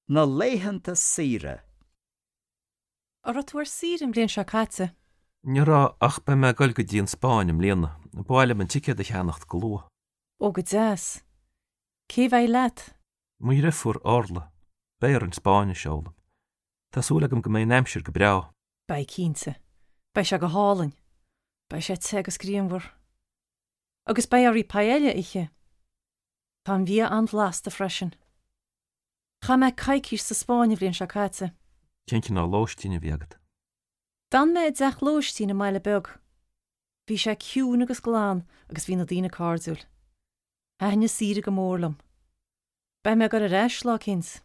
Na laethanta saoire. An raibh tú ar saoire an bhliain seo caite? Ní raibh, ach beidh mé ag dul go dtí an Spáinn i mbliana. Ba mhaith liom an ticéad a cheannacht go luath. Ó, go deas. Cé bheidh leat? Mo dhriofúr, Orla. Beidh orainn Spáinnis a fhoghlaim. Tá súil agam go mbeidh an aimsir go breá. Beidh, cinnte. Beidh sé go hálainn. Beidh sé te agus grianmhar. Agus beidh oraibh paella a ithe. Tá an bhia an-bhlasta freisin. Chaith mé coicís sa Spáinn an bhliain seo caite. Cén cineál lóistín a bhí agat? D'fhan mé i dteach lóistín i mbaile beag. Bhí sé ciúin agus glan agus bhí na daoine cairdiúil. Thaitin an saoire go mór liom. Beidh mé ag dul ar ais lá eicínt.